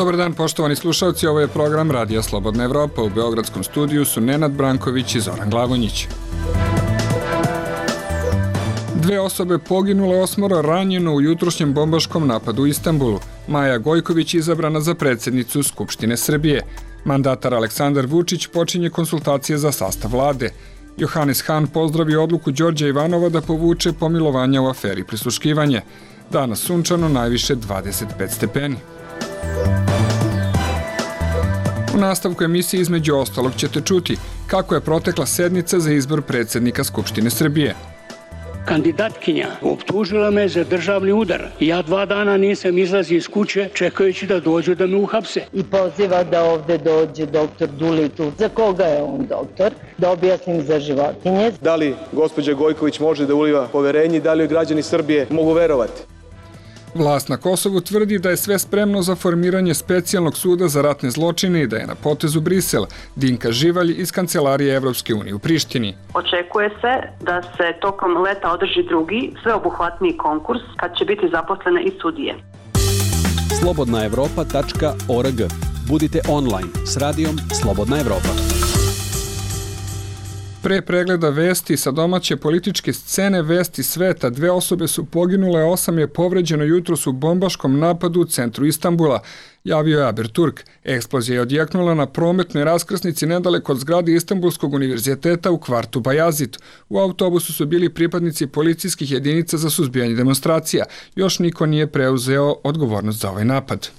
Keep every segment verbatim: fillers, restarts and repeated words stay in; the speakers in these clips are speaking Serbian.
Dobar dan, poštovani slušalci, ovo je program Radija Slobodna Evropa. U beogradskom studiju su Nenad Branković i Zoran Glavonjić. Dve osobe poginule, osmoro ranjeno u jutrošnjem bombaškom napadu u Istanbulu. Maja Gojković izabrana za predsjednicu Skupštine Srbije. Mandatar Aleksandar Vučić počinje konsultacije za sastav vlade. Johannes Hahn pozdravio odluku Đorđa Ivanova da povuče pomilovanja u aferi prisluškivanje. Danas sunčano, najviše dvadeset pet stepeni. U nastavku emisije između ostalog ćete čuti kako je protekla sednica za izbor predsjednika Skupštine Srbije. Kandidatkinja optužila me za državni udar. Ja dva dana nisam izlazio iz kuće čekajući da dođu da me uhapse. I poziva da ovde dođe doktor Dulitl. Za koga je on doktor? Da objasnim za životinje. Da li gospođa Gojković može da uliva poverenje i da li joj građani Srbije mogu verovati? Vlast na Kosovu tvrdi da je sve spremno za formiranje specijalnog suda za ratne zločine i da je na potezu Brisel. Dinka Živalj iz Kancelarije Evropske unije u Prištini. Očekuje se da se tokom leta održi drugi, sveobuhvatniji konkurs kad će biti zaposlene i sudije. slobodna evropa tačka org. Budite online s radijom Slobodna Evropa. Pre pregleda vesti sa domaće političke scene vesti sveta, dve osobe su poginule, osam je povređeno jutros u bombaškom napadu u centru Istanbula, javio je Haberturk. Eksplozija je odjeknula na prometnoj raskrsnici nedaleko od zgrade Istanbulskog univerziteta u kvartu Bajazit. U autobusu su bili pripadnici policijskih jedinica za suzbijanje demonstracija. Još niko nije preuzeo odgovornost za ovaj napad.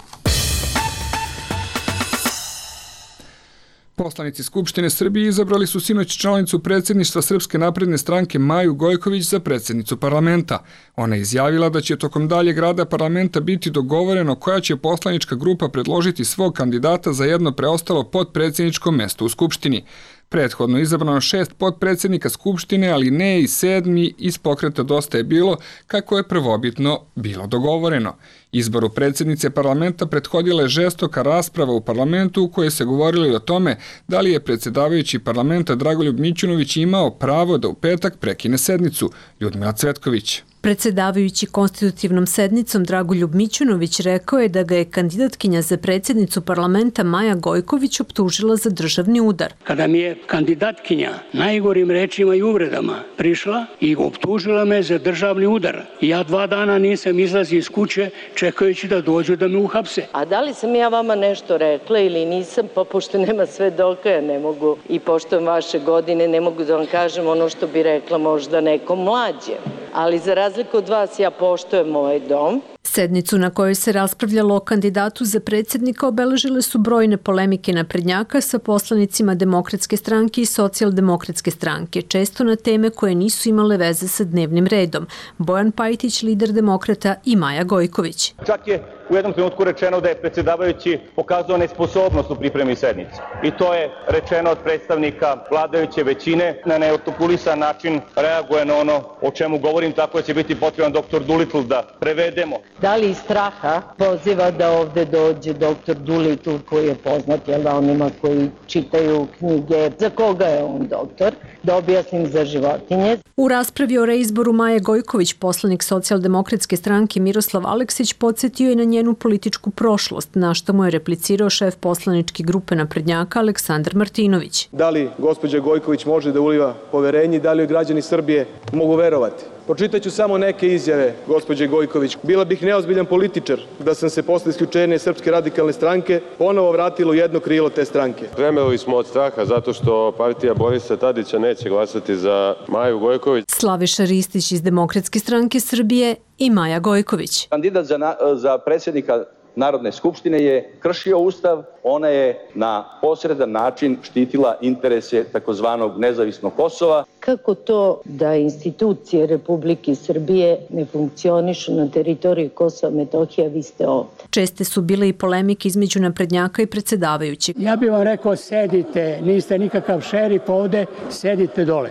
Poslanici Skupštine Srbije izabrali su sinoć članicu predsjedništva Srpske napredne stranke Maju Gojković za predsjednicu parlamenta. Ona je izjavila da će tokom daljeg rada parlamenta biti dogovoreno koja će poslanička grupa predložiti svog kandidata za jedno preostalo potpredsjedničko mesto u Skupštini. Prethodno izabrano šest potpredsjednika Skupštine, ali ne i sedmi iz pokreta Dosta je bilo, kako je prvobitno bilo dogovoreno. Izboru predsjednice parlamenta prethodila je žestoka rasprava u parlamentu u kojoj se govorilo o tome da li je predsjedavajući parlamenta Dragoljub Mićunović imao pravo da u petak prekine sednicu. Ljudmila Cvetković. Predsjedavajući konstitutivnom sednicom Dragoljub Mićunović rekao je da ga je kandidatkinja za predsjednicu parlamenta Maja Gojković optužila za državni udar. Kada mi je kandidatkinja najgorim rečima i uvredama prišla i optužila me za državni udar, ja dva dana nisam izlazio iz kuće čekajući da dođu da me uhapse. A da li sam ja vama nešto rekla ili nisam, pa pošto nema svedoka, ja ne mogu i poštujem vaše godine, ne mogu da vam kažem ono što bi rekla možda nekom mlađe. Ali za razliku od vas ja poštujem ovaj dom. Sednicu na kojoj se raspravljalo o kandidatu za predsjednika obeležile su brojne polemike naprednjaka sa poslanicima Demokratske stranke i Socijaldemokratske stranke, često na teme koje nisu imale veze sa dnevnim redom. Bojan Pajtić, lider Demokrata, i Maja Gojković. Čak je u jednom trenutku rečeno da je predsjedavajući pokazao nesposobnost u pripremi sednice. I to je rečeno od predstavnika vladajuće većine. Na neartikulisan način reaguje na ono o čemu govorim, tako da će biti potreban doktor Dulitl da prevedemo. Da li iz straha poziva da ovde dođe doktor Dulitl, koji je poznat jel, onima koji čitaju knjige. Za koga je on doktor? Da objasnim za životinje. U raspravi o reizboru Maje Gojković, poslanik Socijaldemokratske stranke Miroslav Aleksić podsjetio je na njenu političku prošlost, na što mu je replicirao šef poslaničke grupe naprednjaka Aleksandar Martinović. Da li gospođa Gojković može da uliva poverenje i da li joj građani Srbije mogu verovati? Pročitaću samo neke izjave gospođe Gojković. Bila bih neozbiljan političar da sam se posle isključenja Srpske radikalne stranke ponovo vratila u jedno krilo te stranke. Tremeli smo od straha zato što partija Borisa Tadića neće glasati za Maju Gojković. Slaviša Ristić iz Demokratske stranke Srbije i Maja Gojković. Kandidat za, na, za predsjednika Narodne skupštine je kršio Ustav, ona je na posredan način štitila interese takozvanog nezavisnog Kosova. Kako to da institucije Republike Srbije ne funkcionišu na teritoriji Kosova i Metohije, vi ste ovdje? Česte su bile i polemike između naprednjaka i predsjedavajućeg. Ja bih vam rekao, sedite, niste nikakav šerif ovde, sedite dole.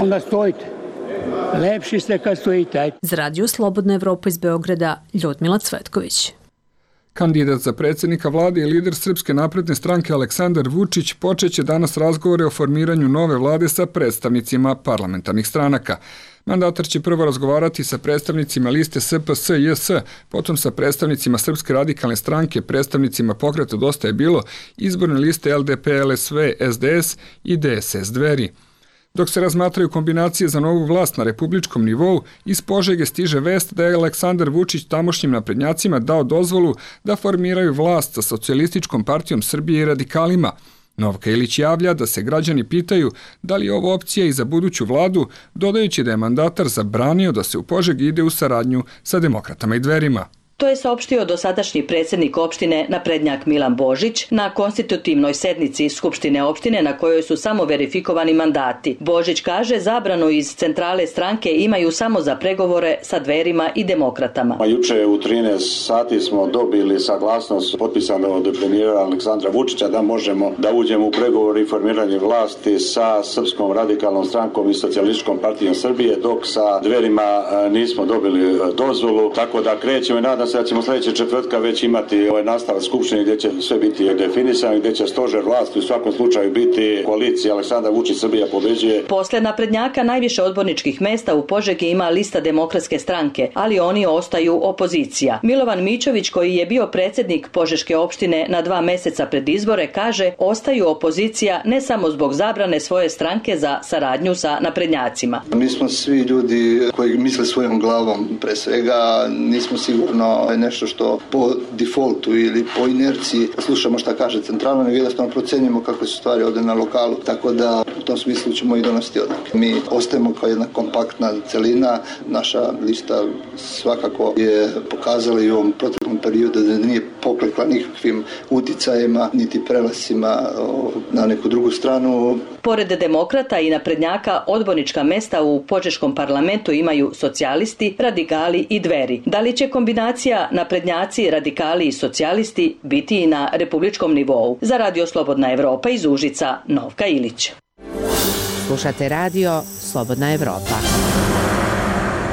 Onda stojite. Lepši ste kad stojite. Za Radio Slobodna Evropa iz Beograda, Ljudmila Cvetković. Kandidat za predsjednika vlade i lider Srpske napredne stranke Aleksandar Vučić počeće danas razgovore o formiranju nove vlade sa predstavnicima parlamentarnih stranaka. Mandatar će prvo razgovarati sa predstavnicima liste S P S J S, potom sa predstavnicima Srpske radikalne stranke, predstavnicima Pokreta Dosta je bilo, izborne liste L D P, L S V, S D S i D S S Dveri. Dok se razmatraju kombinacije za novu vlast na republičkom nivou, iz Požege stiže vest da je Aleksandar Vučić tamošnjim naprednjacima dao dozvolu da formiraju vlast sa Socijalističkom partijom Srbije i radikalima. Novka Ilić javlja da se građani pitaju da li je ovo opcija i za buduću vladu, dodajući da je mandatar zabranio da se u Požegi ide u saradnju sa demokratama i Dverima. To je saopštio dosadašnji predsjednik opštine naprednjak Milan Božić na konstitutivnoj sednici Skupštine opštine na kojoj su samo verifikovani mandati. Božić kaže zabranu iz centrale stranke imaju samo za pregovore sa Dverima i demokratama. Juče u trinaest sati smo dobili saglasnost potpisano od premijera Aleksandra Vučića da možemo da uđemo u pregovore i formiranje vlasti sa Srpskom radikalnom strankom i Socijalističkom partijom Srbije, dok sa Dverima nismo dobili dozvolu, tako da krećemo i nadam se da ćemo sljedeće četvrtka već imati ovaj nastavak skupštine gdje će sve biti definisano, gdje će stožer vlasti u svakom slučaju biti koalicija Aleksandar Vučić Srbija pobeđuje. Posle naprednjaka najviše odborničkih mesta u Požegi ima lista Demokratske stranke, ali oni ostaju opozicija. Milovan Mićović, koji je bio predsjednik Požeške opštine na dva meseca pred izbore, kaže ostaju opozicija ne samo zbog zabrane svoje stranke za saradnju sa naprednjacima. Mi smo svi ljudi koji misle svojom glavom, pre svega nismo sigurno nešto što po defaultu ili po inerciji slušamo šta kaže centralno, nego jednostavno procenjujemo kako su stvari ovdje na lokalu, tako da u tom smislu ćemo i donositi odluke. Mi ostajemo kao jedna kompaktna celina, naša lista svakako je pokazala i u ovom proteklom periodu da nije poklekla nikakvim uticajima niti prelasima na neku drugu stranu. Pored demokrata i naprednjaka, odbornička mesta u Požeškom parlamentu imaju socijalisti, radikali i Dveri. Da li će kombinacija naprednjaci, radikali i socijalisti biti i na republičkom nivou? Za Radio Slobodna Evropa iz Užica, Novka Ilić. Slušate radio Slobodna Evropa.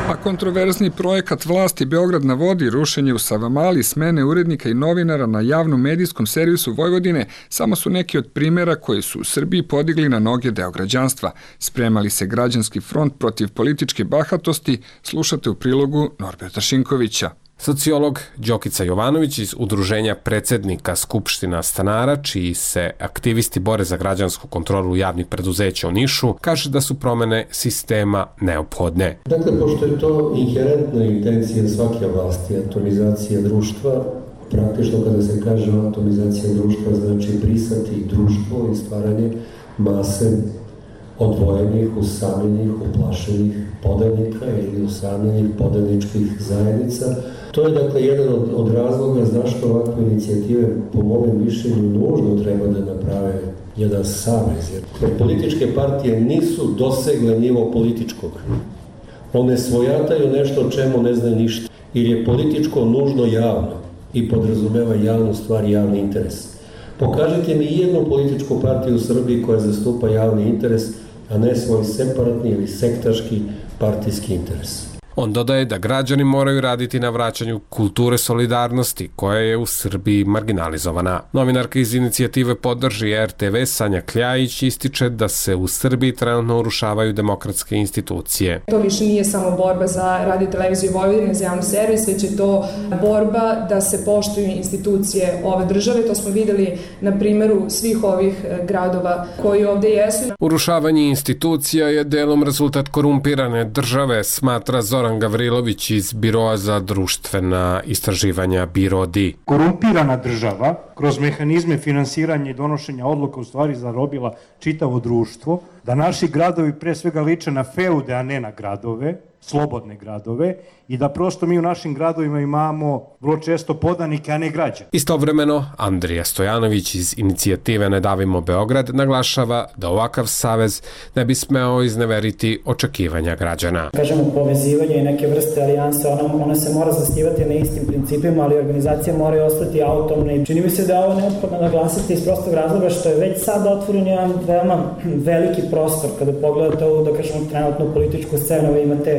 A kontroverzni projekat vlasti Beograd na vodi, rušenje u Savamali, smene urednika i novinara na javnom medijskom servisu Vojvodine samo su neki od primjera koji su u Srbiji podigli na noge deo građanstva. Spremali se građanski front protiv političke bahatosti, slušate u prilogu Norberta Šinkovića. Sociolog Đokica Jovanović iz Udruženja predsjednika Skupština stanara, čiji se aktivisti bore za građansku kontrolu javnih preduzeća u Nišu, kaže da su promjene sistema neophodne. Dakle, pošto je to inherentna intencija svake vlasti, atomizacija društva, praktično kada se kaže atomizacija društva znači brisati društvo i stvaranje mase odvojenih, usamljenih, uplašenih podanika ili usamljenih podaničkih zajednica. To je dakle jedan od, od razloga zašto ovakve inicijative po mom mišljenju nužno treba da naprave jedan savez. Jer političke partije nisu dosegle nivo političkog. One svojataju nešto o čemu ne znaju ništa. Jer je političko nužno javno i podrazumeva javnu stvar i javni interes. Pokažite mi jednu političku partiju u Srbiji koja zastupa javni interes, a ne svoj separatni ili sektaški partijski interes. On dodaje da građani moraju raditi na vraćanju kulture solidarnosti, koja je u Srbiji marginalizovana. Novinarka iz inicijative Podrži R T V Sanja Kljajić ističe da se u Srbiji trenutno urušavaju demokratske institucije. To više nije samo borba za Radio televiziju Vojvodine, za javni servis, već je to borba da se poštuju institucije ove države. To smo videli na primjeru svih ovih gradova koji ovdje jesu. Urušavanje institucija je delom rezultat korumpirane države, smatra Zoran Zoran Gavrilović iz Biroa za društvena istraživanja Birodi. Korumpirana država kroz mehanizme finansiranja i donošenja odluka u stvari zarobila čitavo društvo, da naši gradovi pre svega liče na feude, a ne na gradove, slobodne gradove, i da prosto mi u našim gradovima imamo vrlo često podanike, a ne građane. Istovremeno, Andrija Stojanović iz inicijative Ne davimo Beograd naglašava da ovakav savez ne bi smeo izneveriti očekivanja građana. Kažemo, povezivanje i neke vrste alijanse, ona, ona se mora zasnivati na istim principima, ali organizacije moraju ostati autonomne. Čini mi se da je ovo neophodno naglasiti iz prostog razloga što je već sad otvoren jedan veoma veliki prostor. Kada pogledate ovu, da kažemo, trenutnu političku scenu, vi imate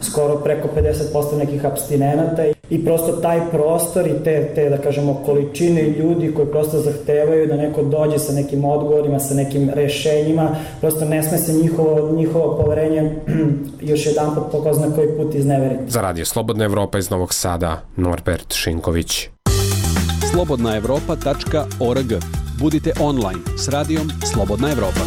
skoro preko pedeset posto nekih apstinenata i prosto taj prostor i te, te, da kažemo, količine ljudi koji prosto zahtevaju da neko dođe sa nekim odgovorima, sa nekim rešenjima, prosto ne sme se njihovo, njihovo poverenje još jedan put po ko zna koji put izneveriti. Za Radio Slobodna Evropa iz Novog Sada, Norbert Šinković. slobodna evropa tačka org. Budite online s radijom Slobodna Evropa.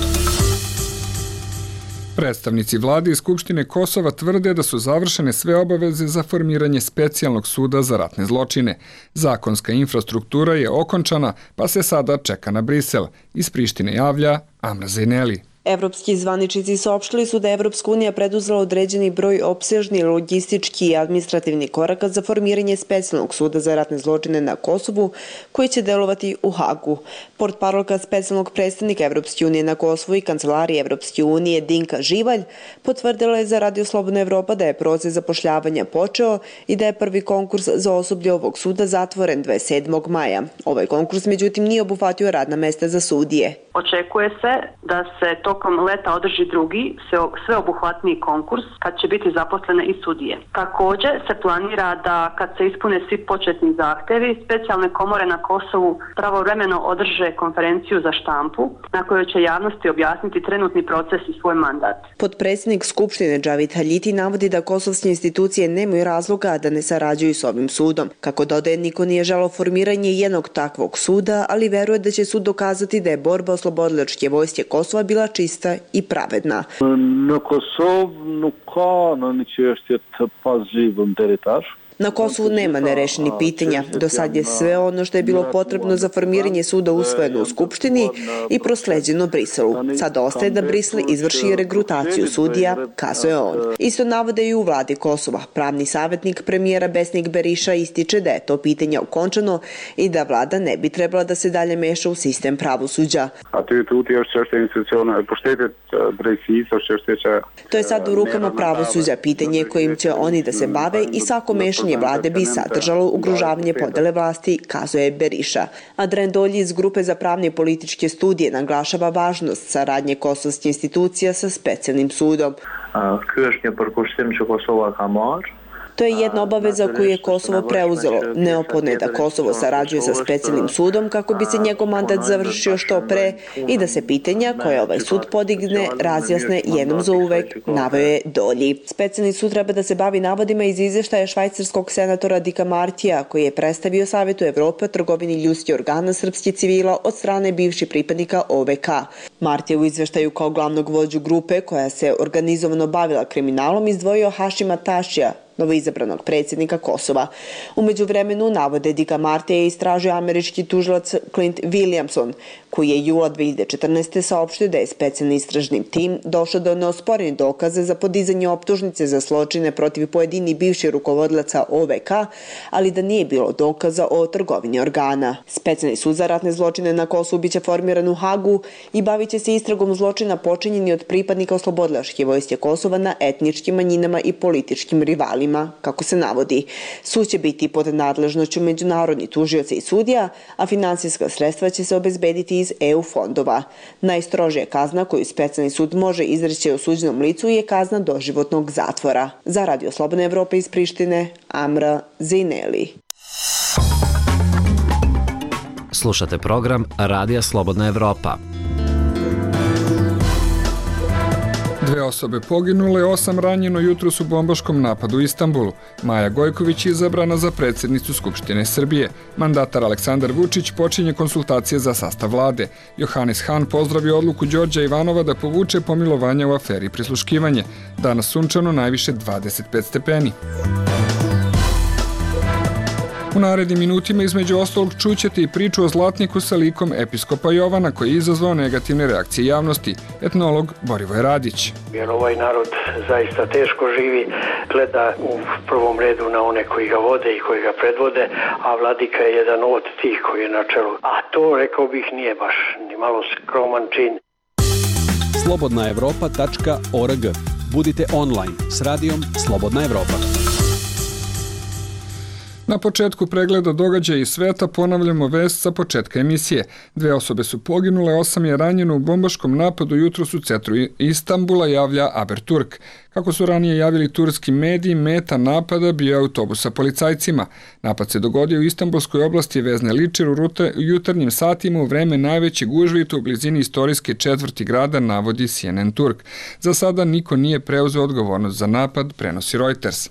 Predstavnici vlade i Skupštine Kosova tvrde da su završene sve obaveze za formiranje specijalnog suda za ratne zločine. Zakonska infrastruktura je okončana, pa se sada čeka na Brisel. Iz Prištine javlja Amra Zejneli. Evropski zvaničnici saopštili su da je Evropska unija preduzela određeni broj opsežni logistički i administrativni koraka za formiranje specijalnog suda za ratne zločine na Kosovu, koji će delovati u Hagu. Portparolka specijalnog predstavnika Evropske unije na Kosovu i kancelarije Evropske unije Dinka Živalj potvrdila je za Radio Slobodna Evropa da je proces zapošljavanja počeo i da je prvi konkurs za osoblje ovog suda zatvoren dvadeset sedmog maja. Ovaj konkurs međutim nije obuhvatio radna mesta za sudije. Očekuje se da se tokom leta održi drugi, sveobuhvatniji konkurs kad će biti zaposlene i sudije. Također se planira da kad se ispune svi početni zahtevi, specijalne komore na Kosovu pravovremeno održe konferenciju za štampu na kojoj će javnosti objasniti trenutni proces i svoj mandat. Potpredsjednik Skupštine Džavid Haljiti navodi da kosovske institucije nemaju razloga da ne sarađuju s ovim sudom. Kako dodaje, niko nije želeo formiranje jednog takvog suda, ali veruje da će sud dokazati da je borba oslobodilačke vojske Kosova bila čista i pravedna. Në Kosovë nuk ka në një çështje të pazhjithun deri tash. Na Kosovu nema nerešenih pitanja. Do sad je sve ono što je bilo potrebno za formiranje suda usvojeno u Skupštini i prosleđeno Briselu. Sad ostaje da Brisel izvrši regrutaciju sudija, kazuje on. Isto navode i u vladi Kosova. Pravni savjetnik premijera Besnik Beriša ističe da je to pitanje okončano i da vlada ne bi trebala da se dalje meša u sistem pravosuđa. To je sad u rukama pravosuđa, pitanje kojim će oni da se bave i svako mešanje vlade bi sadržalo ugrožavanje podele vlasti, kazuje Beriša. Adren Dolji iz Grupe za pravne i političke studije naglašava važnost saradnje kosovskih institucija sa specijalnim sudom. Ky është një përkushtim që Kosova ka marrë. To je jedna obaveza koju je Kosovo preuzelo. Neophodno je da Kosovo sarađuje sa specijalnim sudom kako bi se njegov mandat završio što pre i da se pitanja koje ovaj sud podigne razjasne jednom za uvek, naveo je Dolji. Specijalni sud treba da se bavi navodima iz izveštaja švajcarskog senatora Dika Martija, koji je predstavio Savetu Evrope o trgovini ljudskih organa srpskih civila od strane bivših pripadnika O V K. Martija u izveštaju kao glavnog vođu grupe koja se organizovano bavila kriminalom izdvojio Hašima Tašija, novoizabranog predsjednika Kosova. Umeđu vremenu, navode Dika Martija je istražio američki tužilac Clint Williamson, koji je jula dve hiljade četrnaeste. saopštio da je specijalni istražni tim došao do neosporenih dokaza za podizanje optužnice za zločine protiv pojedini bivših rukovodlaca O V K, ali da nije bilo dokaza o trgovini organa. Specijalni sud za ratne zločine na Kosovu biće formiran u Hagu i bavit će se istragom zločina počinjeni od pripadnika oslobodilačke vojske Kosova na etničkim manjinama i političkim rivalima, kako se navodi. Sud će biti pod nadležnošću međunarodnih tužioca i sudija, a finansijska sredstva će se obezbediti iz E U fondova. Najstrožija kazna koju specijalni sud može izreći osuđenom licu je kazna doživotnog zatvora. Za Radio Slobodna Evropa iz Prištine, Amra Zejneli. Slušate program Radija Slobodna Evropa. Dve osobe poginule, osam ranjeno jutros u bombaškom napadu u Istanbulu. Maja Gojković je izabrana za predsjednicu Skupštine Srbije. Mandatar Aleksandar Vučić počinje konsultacije za sastav vlade. Johanis Han pozdravio odluku Đorđa Ivanova da povuče pomilovanja u aferi prisluškivanje. Danas sunčano, najviše dvadeset pet stepeni. U narednim minutima između ostalog čućete i priču o zlatniku sa likom episkopa Jovana koji je izazvao negativne reakcije javnosti. Etnolog Borivoje Radić. Jer ovaj narod zaista teško živi, gleda u prvom redu na one koji ga vode i koji ga predvode, a vladika je jedan od tih koji je na čelu. A to, rekao bih, nije baš ni malo skroman čin. slobodna evropa tačka org. Budite online s radijom Slobodna Evropa. Na početku pregleda događaja iz sveta ponavljamo vest sa početka emisije. Dve osobe su poginule, osam je ranjeno u bombaškom napadu jutros u centru Istanbula, javlja Haberturk. Kako su ranije javili turski mediji, meta napada bio je autobus sa policajcima. Napad se dogodio u Istanbulskoj oblasti Vezne Ličer u jutarnjim satima u vreme najveće gužve u blizini istorijske četvrti grada, navodi C N N Turk. Za sada niko nije preuzeo odgovornost za napad, prenosi Reuters.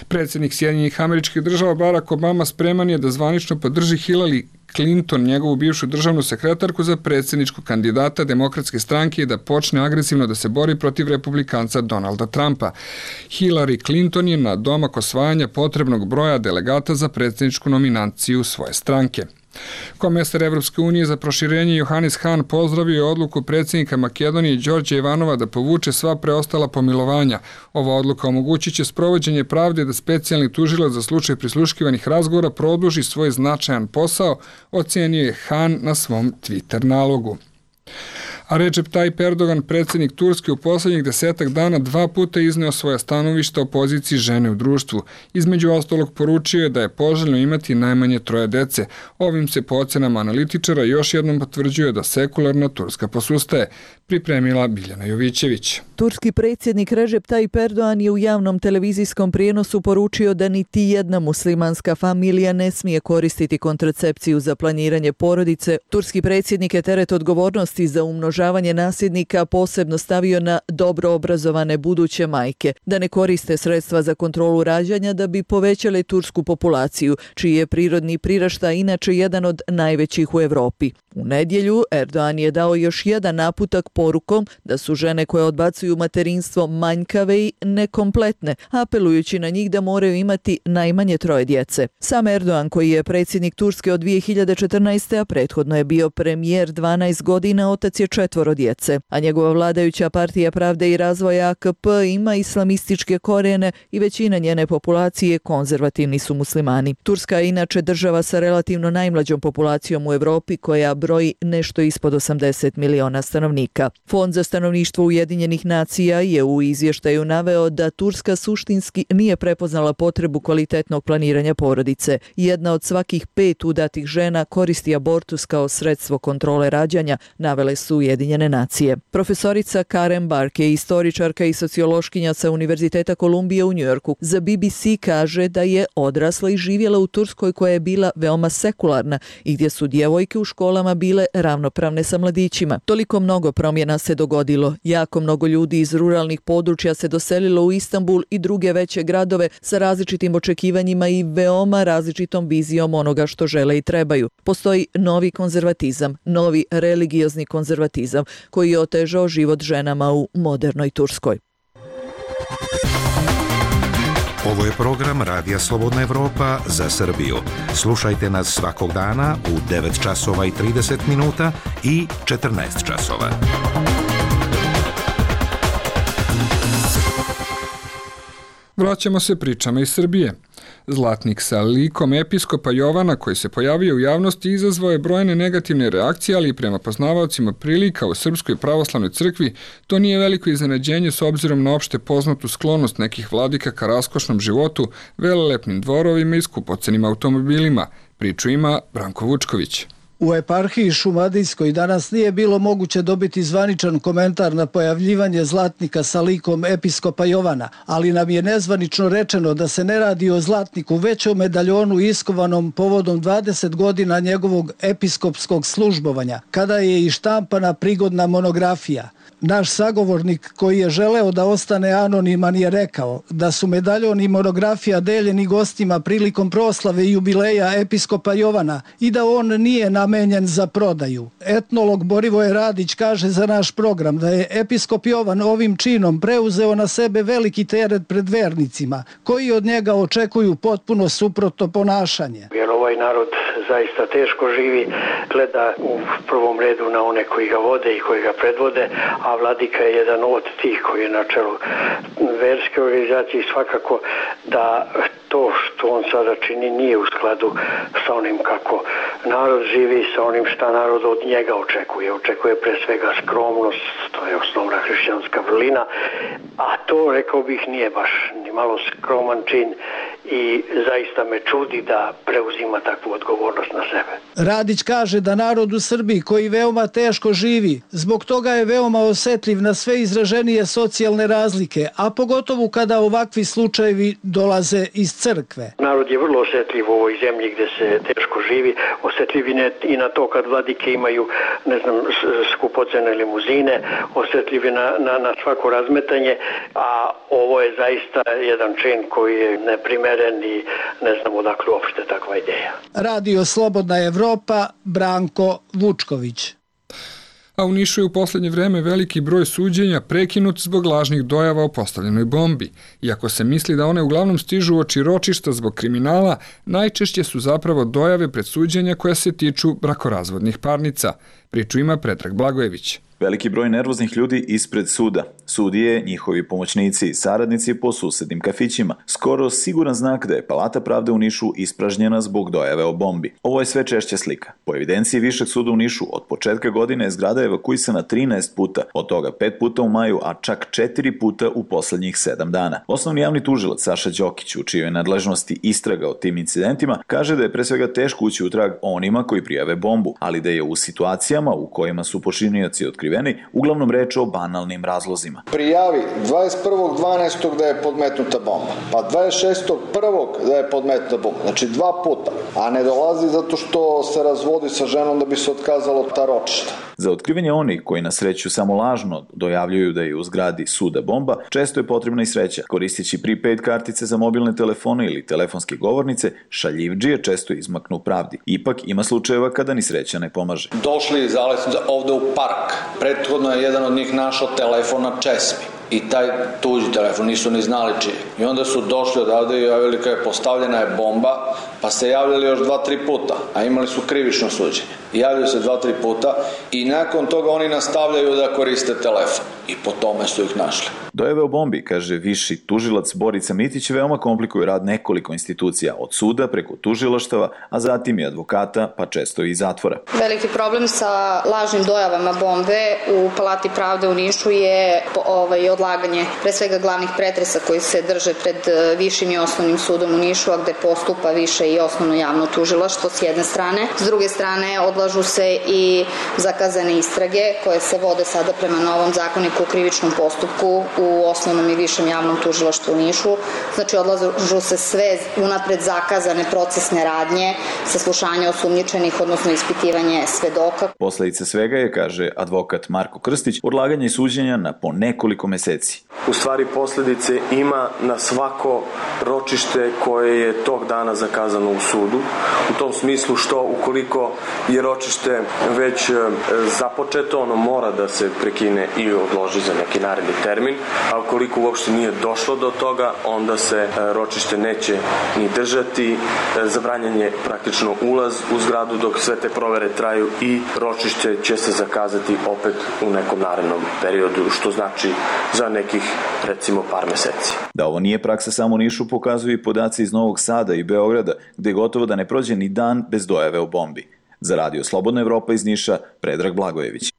Predsjednik Sjedinjenih Američkih Država Barack Obama spreman je da zvanično podrži Hillary Clinton, njegovu bivšu državnu sekretarku, za predsjedničkog kandidata Demokratske stranke i da počne agresivno da se bori protiv republikanca Donalda Trumpa. Hillary Clinton je na domak osvajanja potrebnog broja delegata za predsjedničku nominaciju svoje stranke. Komesar Evropske unije za proširenje Johannes Hahn pozdravio je odluku predsjednika Makedonije Đorđa Ivanova da povuče sva preostala pomilovanja. Ova odluka omogućit će sprovođenje pravde da specijalni tužilac za slučaj prisluškivanih razgovora produži svoj značajan posao, ocenio je Hahn na svom Twitter nalogu. A Recep Tayyip Erdogan, predsjednik Turske, u posljednjih desetak dana dva puta izneo svoja stanovišta o poziciji žene u društvu. Između ostalog poručio je da je poželjno imati najmanje troje dece. Ovim se po ocenama analitičara još jednom potvrđuje da sekularna Turska posustaje. Pripremila Biljana Jovićević. Turski predsjednik Recep Tayyip Erdogan je u javnom televizijskom prijenosu poručio da niti jedna muslimanska familija ne smije koristiti kontracepciju za planiranje porodice. Turski predsjednik je teret odgovornosti za umnožavanje nasljednika posebno stavio na dobro obrazovane buduće majke, da ne koriste sredstva za kontrolu rađanja da bi povećale tursku populaciju, čiji je prirodni priraštaj inače jedan od najvećih u Evropi. U nedjelju Erdogan je dao još jedan naputak porukom da su žene koje odbacuju materinstvo manjkave i nekompletne, apelujući na njih da moraju imati najmanje troje djece. Sam Erdogan, koji je predsjednik Turske od dvije hiljade četrnaeste. a prethodno je bio premijer dvanaest godina, otac je četvoro djece, a njegova vladajuća partija Pravde i razvoja A K P ima islamističke korijene i većina njene populacije konzervativni su muslimani. Turska je inače država sa relativno najmlađom populacijom u Evropi koja broji nešto ispod osamdeset miliona stanovnika. Fond za stanovništvo Ujedinjenih nacija je u izvještaju naveo da Turska suštinski nije prepoznala potrebu kvalitetnog planiranja porodice. Jedna od svakih pet udatih žena koristi abortus kao sredstvo kontrole rađanja, navele su Ujedinjene nacije. Profesorica Karen Bark je istoričarka i sociološkinja sa Univerziteta Kolumbije u Njujorku. Za B B C kaže da je odrasla i živjela u Turskoj koja je bila veoma sekularna i gdje su djevojke u školama bile ravnopravne sa mladićima. Toliko mnogo promjena se dogodilo. Jako mnogo ljudi iz ruralnih područja se doselilo u Istanbul i druge veće gradove sa različitim očekivanjima i veoma različitom vizijom onoga što žele i trebaju. Postoji novi konzervatizam, novi religiozni konzervatizam koji je otežao život ženama u modernoj Turskoj. Ovo je program Radija Slobodna Evropa za Srbiju. Slušajte nas svakog dana u devet časova i trideset minuta i četrnaest časova. Vraćamo se pričama iz Srbije. Zlatnik sa likom episkopa Jovana koji se pojavio u javnosti izazvao je brojne negativne reakcije, ali i prema poznavaocima prilika u Srpskoj pravoslavnoj crkvi to nije veliko iznenađenje s obzirom na opšte poznatu sklonost nekih vladika ka raskošnom životu, velelepnim dvorovima i skupocenim automobilima. Priču ima Branko Vučković. U eparhiji Šumadijskoj danas nije bilo moguće dobiti zvaničan komentar na pojavljivanje zlatnika sa likom episkopa Jovana, ali nam je nezvanično rečeno da se ne radi o zlatniku, već o medaljonu iskovanom povodom dvadeset godina njegovog episkopskog službovanja, kada je i štampana prigodna monografija. Naš sagovornik koji je želeo da ostane anoniman je rekao da su medaljon i monografija deljeni gostima prilikom proslave i jubileja episkopa Jovana i da on nije namenjen za prodaju. Etnolog Borivoje Radić kaže za naš program da je episkop Jovan ovim činom preuzeo na sebe veliki teret pred vernicima, koji od njega očekuju potpuno suprotno ponašanje. Jer ovaj narod zaista teško živi, gleda u prvom redu na one koji ga vode i koji ga predvode, a vladika je jedan od tih koji je na čelu verske organizacije. Svakako da to što on sada čini nije u skladu sa onim kako narod živi, sa onim šta narod od njega očekuje. Očekuje pre svega skromnost, to je osnovna hrišćanska vrlina, a to, rekao bih, nije baš ni malo skroman čin i zaista me čudi da preuzima takvu odgovornost na sebe. Radić kaže da narod u Srbiji koji veoma teško živi, zbog toga je veoma osetljiv na sve izraženije socijalne razlike, a pogotovo kada ovakvi slučajevi dolaze iz crkve. Narod je vrlo osetljiv u ovoj zemlji gde se teško živi, osetljiv i na to kad vladike imaju, ne znam, skupocene limuzine, osetljiv na, na, na svako razmetanje, a ovo je zaista jedan čin koji je neprimeren i ne znam odakle uopšte takva ideja. Radio Slobodna Evropa, Branko Vučković. A u Nišu je u posljednje vreme veliki broj suđenja prekinut zbog lažnih dojava o postavljenoj bombi. Iako se misli da one uglavnom stižu oči ročišta zbog kriminala, najčešće su zapravo dojave pred suđenja koja se tiču brakorazvodnih parnica. Priču ima Predrag Blagojević. Veliki broj nervoznih ljudi ispred suda. Sudije, njihovi pomoćnici i saradnici po susednim kafićima. Skoro siguran znak da je Palata pravde u Nišu ispražnjena zbog dojave o bombi. Ovo je sve češća slika. Po evidenciji Višeg suda u Nišu, od početka godine je zgrada evakuisana trinaest puta, od toga pet puta u maju, a čak četiri puta u poslednjih sedam dana. Osnovni javni tužilac Saša Đokić, u čijoj nadležnosti istraga o tim incidentima, kaže da je pre svega teško ući u trag onima koji prijave bombu, ali da je u situacijama u kojima su počinioci otkriveni uglavnom reč o banalnim razlozima. Prijavi dvadeset prvog dvanaestog da je podmetnuta bomba, pa dvadeset šestog prvog da je podmetnuta bomba, znači dva puta, a ne dolazi zato što se razvodi sa ženom da bi se otkazalo ta ročišta. Za otkrivanje onih koji na sreću samo lažno dojavljuju da je u zgradi suda bomba, često je potrebna i sreća. Koristeći prepaid kartice za mobilne telefone ili telefonske govornice, šaljivdžije često izmaknu pravdi. Ipak ima slučajeva kada ni sreća ne pomaže. Došli iz Aleksinca ovde u park. Prethodno je jedan od njih našao telefon na česmi. I taj tuđi telefon, nisu ni znali čije. I onda su došli odavde i javili kada je postavljena je bomba, pa se javljali još dva, tri puta, a imali su krivično suđenje. I javljaju se dva, tri puta i nakon toga oni nastavljaju da koriste telefon. I po tome su ih našli. Dojave o bombi, kaže viši tužilac Borica Mitić, veoma komplikuju rad nekoliko institucija, od suda preko tužilaštava, a zatim i advokata, pa često i zatvora. Veliki problem sa lažnim dojavama bombe u Palati pravde u Nišu je ovaj, odlaganje pre svega glavnih pretresa koji se drže pred višim i osnovnim sudom u Nišu, a gde postupa više i osnovno javno tužilaštvo s jedne strane. S druge strane odlažu se i zakazane istrage koje se vode sada prema novom zakoniku o krivičnom postupku u osnovnom i višem javnom tužilaštvu u Nišu. Znači odlažu se sve unapred zakazane procesne radnje, saslušanje osumnjičenih, odnosno ispitivanje svedoka. Posledica svega je, kaže advokat Marko Krstić, odlaganje suđenja na po nekoliko meseci. U stvari posledice ima na svako ročište koje je tog dana zakazano u sudu. U tom smislu što ukoliko je ročište već započeto, ono mora da se prekine i odloži za neki naredni termin, a ukoliko uopšte nije došlo do toga, onda se ročište neće ni držati. Zabranjen je praktično ulaz u zgradu dok sve te provere traju i ročište će se zakazati opet u nekom narednom periodu, što znači za nekih recimo par meseci. Da ovo nije praksa samo u Nišu pokazuju i podaci iz Novog Sada i Beograda, gde gotovo da ne prođe ni dan bez dojave o bombi. Za Radio Slobodna Evropa iz Niša, Predrag Blagojević.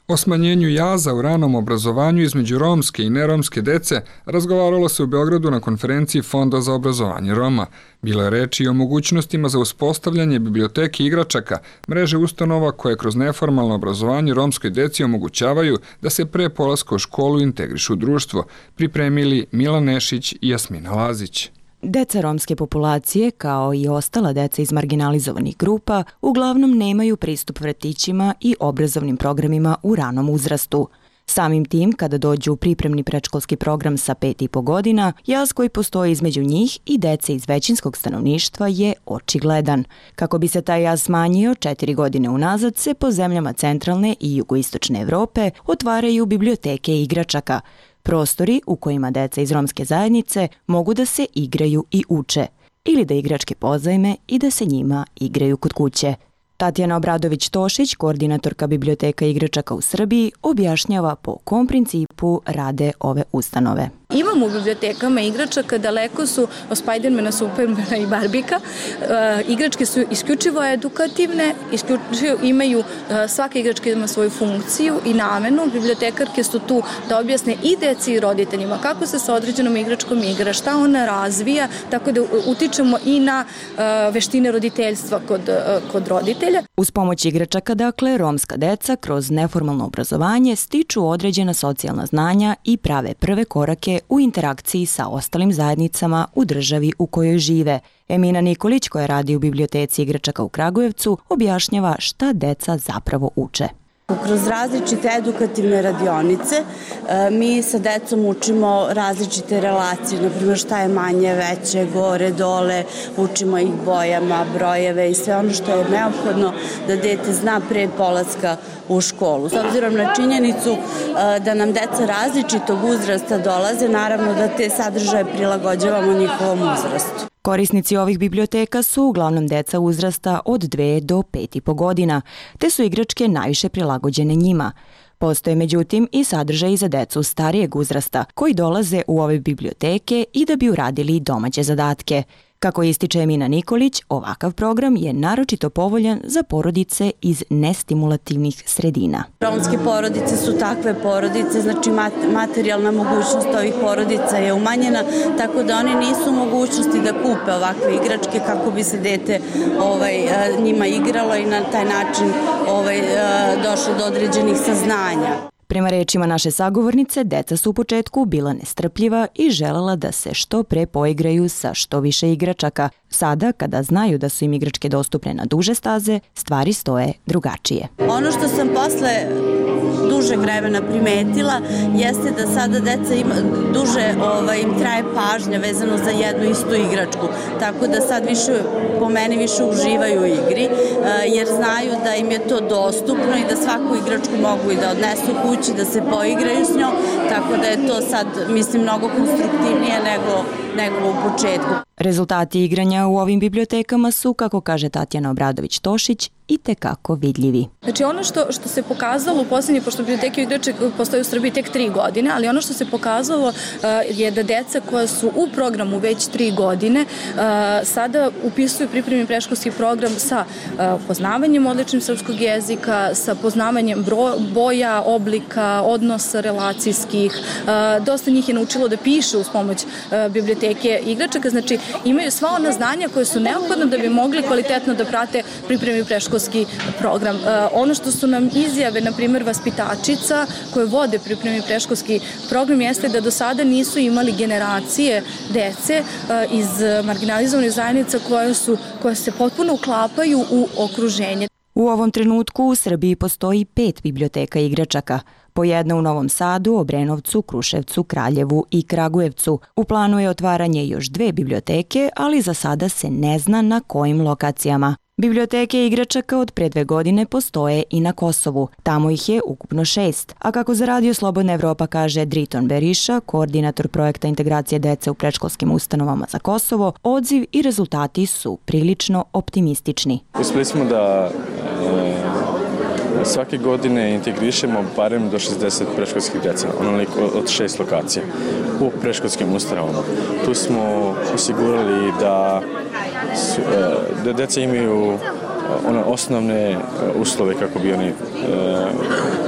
O smanjenju jaza u ranom obrazovanju između romske i neromske dece razgovaralo se u Beogradu na konferenciji Fonda za obrazovanje Roma. Bilo je reči i o mogućnostima za uspostavljanje biblioteke igračaka, mreže ustanova koje kroz neformalno obrazovanje romskoj deci omogućavaju da se pre polaska u školu integrišu u društvo, pripremili Milan Nešić i Jasmina Lazić. Deca romske populacije, kao i ostala deca iz marginalizovanih grupa, uglavnom nemaju pristup vrtićima i obrazovnim programima u ranom uzrastu. Samim tim, kada dođu u pripremni predškolski program sa pet i po godina, jaz koji postoji između njih i dece iz većinskog stanovništva je očigledan. Kako bi se taj jaz smanjio, četiri godine unazad se po zemljama centralne i jugoistočne Evrope otvaraju biblioteke igračaka, prostori u kojima deca iz romske zajednice mogu da se igraju i uče, ili da igračke pozajme i da se njima igraju kod kuće. Tatjana Obradović-Tošić, koordinatorka biblioteka igračaka u Srbiji, objašnjava po kom principu rade ove ustanove. Imamo u bibliotekama igračaka, daleko su od Spidermana, Supermana i Barbika. E, igračke su isključivo edukativne, isključivo imaju, e, svaka igračka ima svoju funkciju i namenu. Bibliotekarke su tu da objasne i deci i roditeljima kako se sa određenom igračkom igra, šta ona razvija, tako da utičemo i na e, veštine roditeljstva kod, e, kod roditelja. Uz pomoć igračaka, dakle, romska deca kroz neformalno obrazovanje stiču određena socijalna znanja i prave prve korake u interakciji sa ostalim zajednicama u državi u kojoj žive. Emina Nikolić, koja radi u biblioteci igračaka u Kragujevcu, objašnjava šta deca zapravo uče. Kroz različite edukativne radionice mi sa decom učimo različite relacije, naprimjer šta je manje, veće, gore, dole, učimo ih bojama, brojeve i sve ono što je neophodno da dete zna pre polaska u školu. S obzirom na činjenicu da nam deca različitog uzrasta dolaze, naravno da te sadržaje prilagođavamo njihovom uzrastu. Korisnici ovih biblioteka su uglavnom deca uzrasta od dve do pet i po godina, te su igračke najviše prilagođene njima. Postoje međutim i sadržaji za decu starijeg uzrasta koji dolaze u ove biblioteke i da bi uradili domaće zadatke. Kako ističe Emina Nikolić, ovakav program je naročito povoljan za porodice iz nestimulativnih sredina. Romske porodice su takve porodice, znači materijalna mogućnost ovih porodica je umanjena, tako da oni nisu u mogućnosti da kupe ovakve igračke kako bi se dete ovaj, njima igralo i na taj način ovaj, došlo do određenih saznanja. Prema rečima naše sagovornice, deca su u početku bila nestrpljiva i želela da se što pre poigraju sa što više igračaka. Sada, kada znaju da su im igračke dostupne na duže staze, stvari stoje drugačije. Ono što sam posle dužeg vremena primetila jeste da sada deca ima, duže ovaj, im traje pažnja vezano za jednu istu igračku. Tako da sad više, po meni više uživaju u igri, jer znaju da im je to dostupno i da svaku igračku mogu i da odnesu kući, da se poigraju s njom, tako da je to sad, mislim, mnogo konstruktivnije nego, nego u početku. Rezultati igranja u ovim bibliotekama su, kako kaže Tatjana Obradović-Tošić, i tekako vidljivi. Znači ono što, što se pokazalo u posljednji, pošto biblioteke igračke postoje u Srbiji tek tri godine, ali ono što se pokazalo uh, je da deca koja su u programu već tri godine uh, sada upisuju pripremni predškolski program sa uh, poznavanjem odličnim srpskog jezika, sa poznavanjem bro, boja, oblika, odnosa relacijskih. Uh, dosta njih je naučilo da piše uz pomoć uh, biblioteke igračaka, znači imaju sva ona znanja koje su neophodna da bi mogli kvalitetno da prate pripremni predškolski program. Ono što su nam izjave, na primjer, vaspitačica koje vode pripremni predškolski program jeste da do sada nisu imali generacije dece iz marginalizovanih zajednica koje, su, koje se potpuno uklapaju u okruženje. U ovom trenutku u Srbiji postoji pet biblioteka igračaka. Po jedna u Novom Sadu, Obrenovcu, Kruševcu, Kraljevu i Kragujevcu. U planu je otvaranje još dve biblioteke, ali za sada se ne zna na kojim lokacijama. Biblioteke igračaka od pre dve godine postoje i na Kosovu. Tamo ih je ukupno šest. A kako za Radio Slobodna Evropa kaže Driton Beriša, koordinator projekta integracije dece u predškolskim ustanovama za Kosovo, odziv i rezultati su prilično optimistični. Uspeli smo da e, svake godine integrišemo barem do šezdeset predškolskih deca, onoliko od šest lokacija u predškolskim ustanovama. Tu smo osigurali da Su, da deca imaju one osnovne uslove kako bi oni e,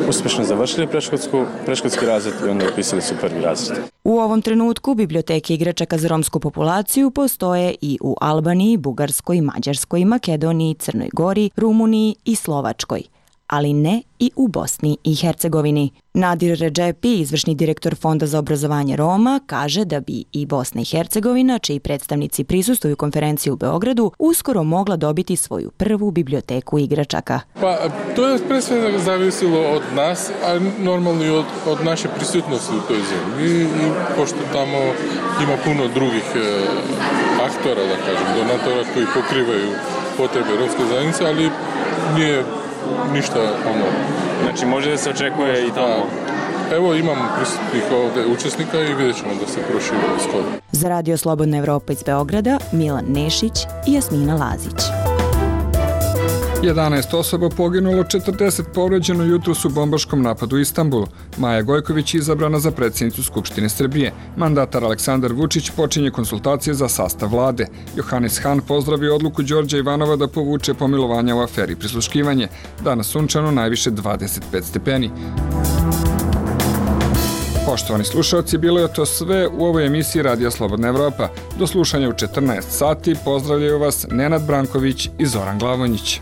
uspešno završili predškolski razred i onda upisali su prvi razred. U ovom trenutku biblioteke igračaka za romsku populaciju postoje i u Albaniji, Bugarskoj, Mađarskoj, Makedoniji, Crnoj Gori, Rumuniji i Slovačkoj, ali ne i u Bosni i Hercegovini. Nadir Redžepi, izvršni direktor Fonda za obrazovanje Roma, kaže da bi i Bosna i Hercegovina, čiji predstavnici prisustvuju konferenciji u Beogradu, uskoro mogla dobiti svoju prvu biblioteku igračaka. Pa, to je pre svega zavisilo od nas, a normalno i od, od naše prisutnosti u toj zemlji. I, i pošto tamo ima puno drugih e, aktora, da kažem, donatora koji pokrivaju potrebe romske zajednice, ali nije ništa ono. Znači može da se očekuje i tamo? Evo imamo prisutnih ovde učesnika i vidjet ćemo da se proširimo skoro. Za Radio Slobodna Evropa iz Beograda, Milan Nešić i Jasmina Lazić. jedanaest osoba poginulo, četrdeset povređeno jutros u bombaškom napadu u Istanbulu. Maja Gojković je izabrana za predsjednicu Skupštine Srbije. Mandatar Aleksandar Vučić počinje konsultacije za sastav vlade. Johannes Hahn pozdravio odluku Đorđa Ivanova da povuče pomilovanja u aferi prisluškivanje. Danas sunčano, najviše dvadeset pet stepeni. Poštovani slušalci, bilo je to sve u ovoj emisiji Radija Slobodna Evropa. Do slušanja u četrnaest sati pozdravljaju vas Nenad Branković i Zoran Glavonjić.